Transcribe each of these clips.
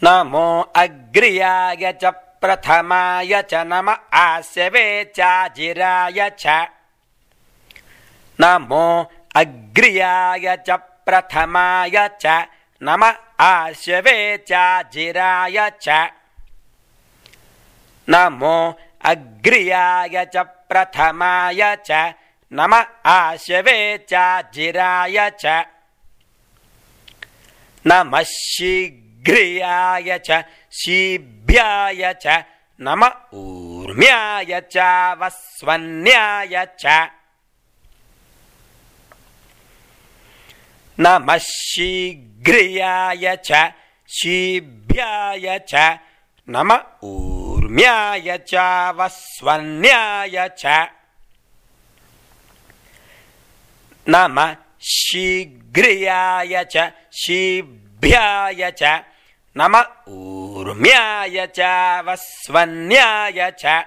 नमो अग्र्याय च प्रथमाय च नम आस्यवे चाजिराय च नमो अग्र्याय च प्रथमाय च नम आस्यवे चाजिराय च नमो अग्र्याय च प्रथमाय च नम आस्यवे चाजिराय च नमः शीघ्र्याय च शीभ्याय च नम ऊर्म्याय च वस्वन्याय च नमः शीघ्र्याय च शीभ्याय च नम ऊर्म्याय च वस्वन्याय च नमः शीघ्र्याय च शीभ्याय च नम ऊर्म्याय च वस्वन्याय च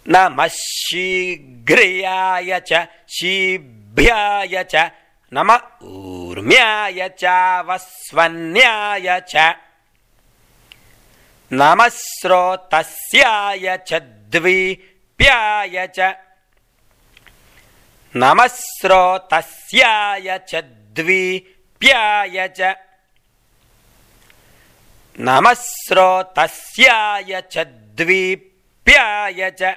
नमः शीघ्र्याय च शीभ्याय च नम ऊर्म्याय च वस्वन्याय च नमः स्रोतस्याय च द्विप्याय च नमः स्रोतस्याय च द्विप्याय च नमः स्रोतस्याय च द्विप्याय च